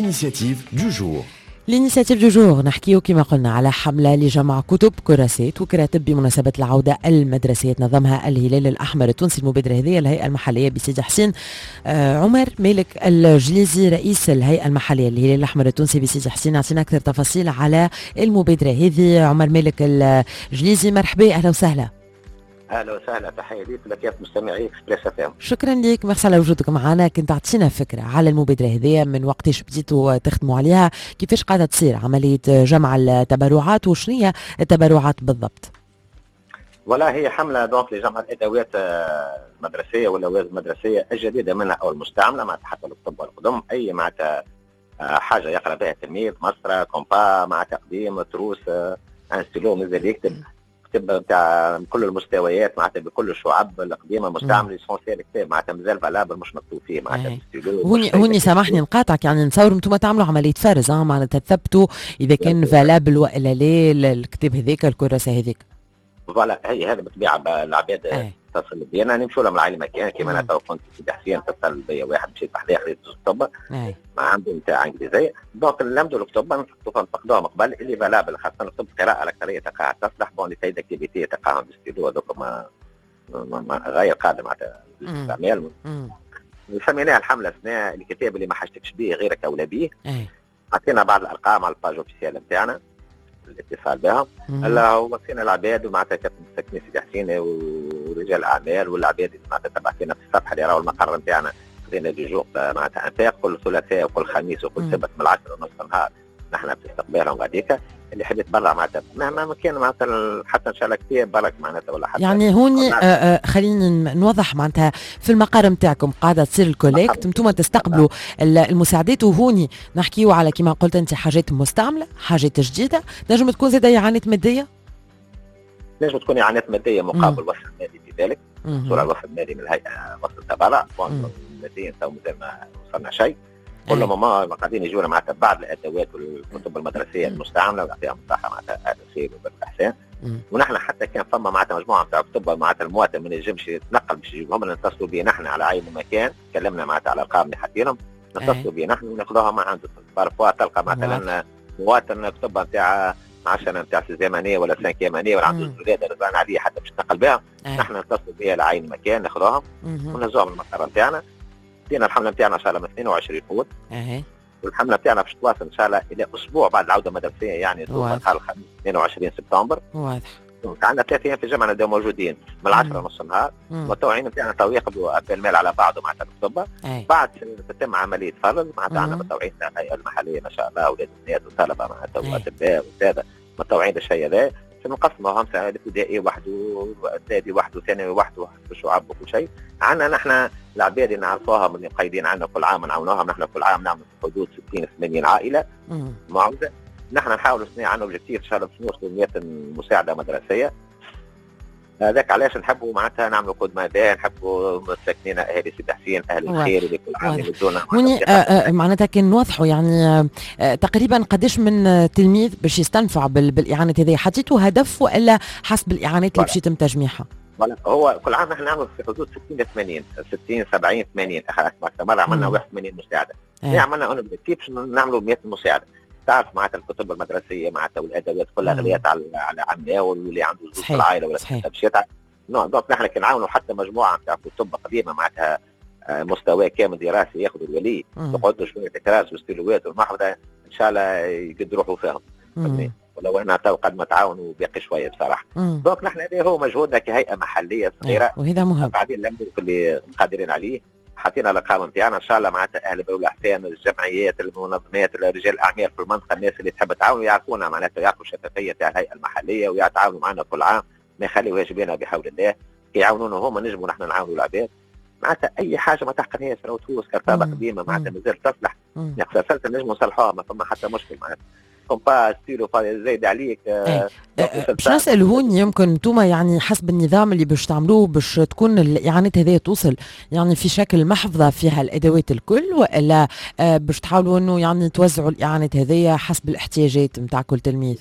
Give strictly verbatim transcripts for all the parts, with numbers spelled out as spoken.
L'initiative du jour. L'initiative du jour، نحكيو كما قلنا على حملة لجمع كتب، كراسات وكراتب بمناسبة العودة المدرسية، تنظمها الهلال الأحمر التونسي. المبادرة هذه الهيئة المحلية بسيدي حسين. آه عمر مالك الجليزي، رئيس الهيئة المحلية للهلال الأحمر التونسي بسيدي حسين، يعطينا أكثر تفاصيل على المبادرة هذه. عمر مالك الجليزي، مرحبا، أهلا وسهلا. اهلا وسهلا، تحية ليك ولكافة مستمعي Express FM. شكرا لك، ميرسي على وجودك معنا. كنت تعطينا فكرة على المبادرة هذه، من وقتاش بديتوا تخدموا عليها، كيفاش قاعدة تصير عملية جمع التبرعات، وشنو هي التبرعات بالضبط؟ voilà، هي حمله donc لجمع الادوات آه، المدرسية واللوازم المدرسية الجديدة منها او المستعمله، معناتها حتى الكتب والقدم، اي معناتها آه، حاجة يقرا بها التلميذ، مسطره، compas معناتها قديم، trousse، آه، un stylo مازال يكتب، كتب نتاع كل المستويات معناتها بكل الشعب القديمه، مستعمل، l'essentiel كتاب معناتها مازال valable، مش مكتوب فيه معناتها. هوني هوني سامحني نقاطعك، يعني نتصور انتم تعملوا عملية فرز، معناتها تثبتوا اذا كان valable والا لا الكتاب هذاك، الكراسة هذيك. voilà، هي هذا بالطبيعة العباد تتصل بينا، نمشوا لهم لعين المكان. كيما انا تو كنت في سيدي حسين، اتصل بيا واحد، مشيت بحذاه، خذيت الكتب ما عنده نتاع انجليزيه. donc نلمدوا الكتب، نفقدوهم قبل اللي valable، خاصة كتب القراءة الاكثرية تلقاها تصلح. bon، les cahiers d'activités تلقاهم بستيلو هذوك ما, ما غير قادم معناتها للاستعمال. سميناها الحملة سنة الكتاب اللي ما حاجتكش به غيرك اولى به. عطينا بعض الارقام على ال page officielle نتاعنا الاتصال بها. هلا وصينا العباد ومعناتها ساكنين سيدي حسين ورجال الاعمال والعباد اللي معناتها تبع فينا في الصفحة اللي راهو المقر نتاعنا، خذينا des jours معناتها انفاق، كل ثلاثاء وكل خميس وكل سبت من العشرة ونص النهار نحن في استقبالهم غاديكا. اللي يحب يتبرع معناتها مهما كان معناتها، حتى ان شاء الله كتاب برك معناتها ولا حتى يعني هوني آه آه خلينا نوضح، معناتها في المقر نتاعكم قاعدة تصير ال collecte، انتم تستقبلوا المساعدات، وهوني نحكيو على كما قلت انت حاجات مستعمله، حاجات جديده، نجم تكون زاده اعانات ماديه. نجم تكون اعانات مادية مقابل وصل مالي في ذلك، صورة الوصل المالي من الهيئه، وصل تبرع. ماديا تو مازال ما وصلنا شيء. كل ما قاعدين يجونا معناتها بعض الادوات والكتب المدرسية المستعملة ويعطيهم الصحة معناتها اهل الخير والاحسان. ونحن حتى كان فما معناتها مجموعة نتاع كتب معناتها المواطن ما ينجمش يتنقل باش يجيبهم، نتصلوا به نحن على عين المكان، تكلمنا معناتها على الارقام اللي حاطينهم، نتصلوا به نحن وناخذوها ما عنده. parfois تلقى مثلا مواطن كتب نتاع عشرة نتاع sixième année ولا cinquième année ولا عنده زوج ولاد رزان عليه حتى باش يتنقل بها، نحن نتصلوا بها لعين المكان، ناخذوهم ونهزوهم المقر نتاعنا. بدينا الحملة نتاعنا ان شاء الله من اثنين وعشرين اوت، والحمله نتاعنا باش تواصل ان شاء الله الى اسبوع بعد العودة المدرسيه، يعني نهار الخميس اثنين وعشرين سبتمبر. واضح. عندنا ثلاث ايام في الجمعة نبداو موجودين من العشرة نص النهار. المتطوعين نتاعنا تو يقبلوا appel mail على بعضه معناتها الكتب، بعد تتم عملية فرز. معناتها عندنا متطوعين تاع الهيئة المحلية ما شاء الله، اولاد الناس وطلبه معناتها واطباء وسادة متطوعين بالشيء هذا. نقسموهم، الابتدائي وحده، اعدادي وحده، ثانوي وحده، الشعب وكل شيء. عندنا نحن العباد اللي نعرفوها من مقيدين عندنا، كل عام نعاونوهم. نحن كل عام نعمل في حدود ستين ثمانين عائلة معوزه. نحن نحاول سنة عندنا objectif ان شاء الله باش نوصلوا مية مساعدة مدرسيه. هذاك علاش نحبوا معناتها نعملوا coup de main، نحبوا مساكنين اهالي سيدي حسين، اهل الخير اللي كل عام يمدونا. هوني آه، آه، معناتها كان نوضحوا يعني آه، تقريبا قداش من تلميذ باش يستنفع بالاعانه هذه؟ حطيتوا هدف والا حسب الاعانات اللي باش يتم تجميعها؟ هو كل عام نحن نعمل في حدود ستين ل ثمانين، ستين، سبعين، ثمانين، اخر مرة عملنا واحد وثمانين مساعده. إيه. عملنا un objectif باش نعملوا مية مساعده. تعرف معناتها الكتب المدرسية معناتها والادوات كلها غليت على على عمنا، واللي عنده زوج في العائلة ولا باش يتعب. non، donc نحن كي نعاونوا حتى مجموعة نتاع كتب قديمة معناتها آه، مستوى كامل دراسي ياخذوا الولي، تقعدوا شوية كراس وستيلوات والمحفظه، ان شاء الله يقدروا روحوا فيهم. ولو انا تو قد ما تعاونوا باقي شوية بصراحه. donc نحن هذا هو مجهودنا كهيئة محليه صغيره. وهذا مهم. قاعدين نعملوا اللي قادرين عليه. حطينا الارقام نتاعنا، ان شاء الله معناتها اهل الاحسان، الجمعيات، المنظمات، رجال الاعمال في المنطقه، الناس اللي تحب تعاون يعرفونا معناتها، يعرفوا الشفافية تاع الهيئة المحلية ويتعاونوا معنا كل عام، ما يخليوهاش بينا بحول الله. يعاونونا هما نجموا نحن نعاونوا العباد. معناتها اي حاجة ما تحقنهاش، trousse، كرتابه قديمة معناتها مازال تصلح، ناقصه نجموا نصلحوها، ما فما حتى مشكل. معناتها compas، stylo زايد عليك. آه، آه، باش نسال هون، يمكن انتم يعني حسب النظام اللي باش تعملوه باش تكون الاعانات هذه توصل يعني في شكل محفظة فيها الادوات الكل، والا آه، باش تحاولوا انه يعني توزعوا الاعانات هذه حسب الاحتياجات نتاع كل تلميذ؟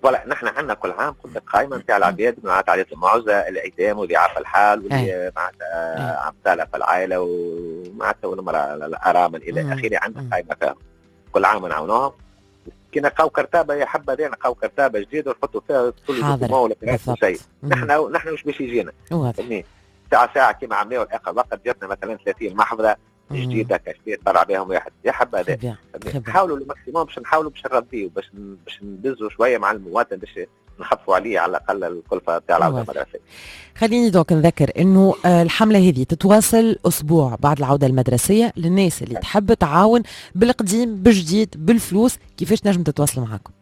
voilà، نحن عندنا كل عام قلت لك قائمة نتاع العباد معناتها عائلات المعوزه، الايتام وضعاف الحال واللي معناتها عبطاله في العائلة ومعناتها والمراة الارامل الى اخره، عندنا قائمة فيهم. كل عام نعاونوهم. كي نلقاو كرتابه يا حبذا نلقاو كرتابه جديدة ونحطوا فيها كل document ولا شيء. نحن نحن مش باش يجينا فهمتني ساعة ساعة كيما عملناو الاخر وقت جاتنا مثلا ثلاثين محفظة جديدة cachetées تبرع بهم واحد يا حبذا. نحاولوا ال maximum باش نحاولوا باش نرضيو باش باش ندزوا شوية مع المواطن باش نخفوا عليه على الاقل الكلفة تاع العودة المدرسية. خليني donc نذكر انه الحملة هذه تتواصل اسبوع بعد العودة المدرسية للناس اللي تحب تعاون بالقديم بالجديد بالفلوس، كيفاش نجم تتواصل معاكم؟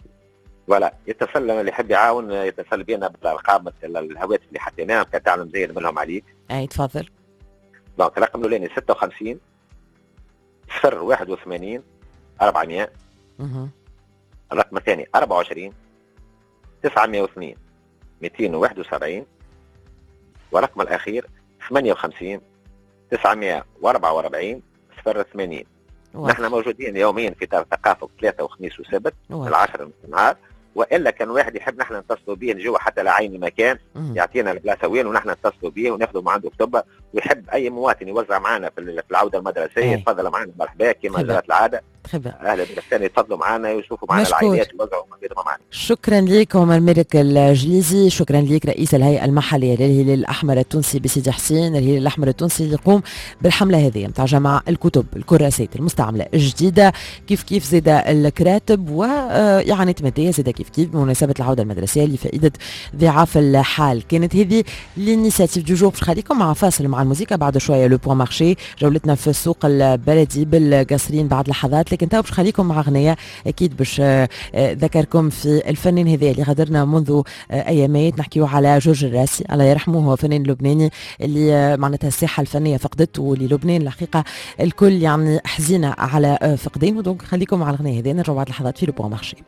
voilà يتصل اللي يحب يعاون يتصل بينا بالارقام الهواتف اللي حطيناهم كان تعلم زين منهم عليك. اي تفضل. donc الرقم الاولاني ستة وخمسين صفر واحد وثمانين أربعمية. الرقم الثاني أربعة وعشرين تسعمية واثنين مئتين وواحد وسبعين. والرقم الأخير ثمانية وخمسين تسعمية وأربعة وأربعين صفر ثمانين. نحن موجودين يوميا في دار الثقافة ثلاثة وخميس وسبت العشرة من النهار، والا كان واحد يحب نحن نتصلوا به نجوا حتى لعين المكان يعطينا البلاصة وين ونحن نتصلوا به وناخذوا من عنده كتبه. ويحب اي مواطن يوزع معنا في العودة المدرسية يتفضل معنا مرحبا كما جرت العادة. اهل البلدان يتفضلوا معنا ويشوفوا معنا العائلات ويوزعوا معنا. شكرا لك عمر مالك الجليزي، شكرا لك رئيس الهيئة المحلية للهلال الاحمر التونسي بسيدي حسين. الهلال الاحمر التونسي اللي يقوم بالحمله هذه نتاع جمع الكتب الكراسات المستعملة الجديدة كيف كيف زاد الكراتب واعانات مادية زاد كيف كيف بمناسبة العودة المدرسية لفائدة ضعاف الحال. كانت هذه l'initiative du jour. باش نخليكم مع فاصل مع الموسيقى بعد شوية le point marché، جولتنا في السوق البلدي بالقصرين بعد لحظات، لكن تو باش نخليكم مع اغنية اكيد باش ذكركم في الفنان هذا اللي غادرنا منذ ايامات. نحكيو على جورج الراسي الله يرحمه، هو فنان لبناني اللي معناتها الساحة الفنية فقدته، واللي لبنان الحقيقة الكل يعني حزينة على فقدانه. donc خليكم مع الاغنية هذه، نرجعوا بعد لحظات في le point marché.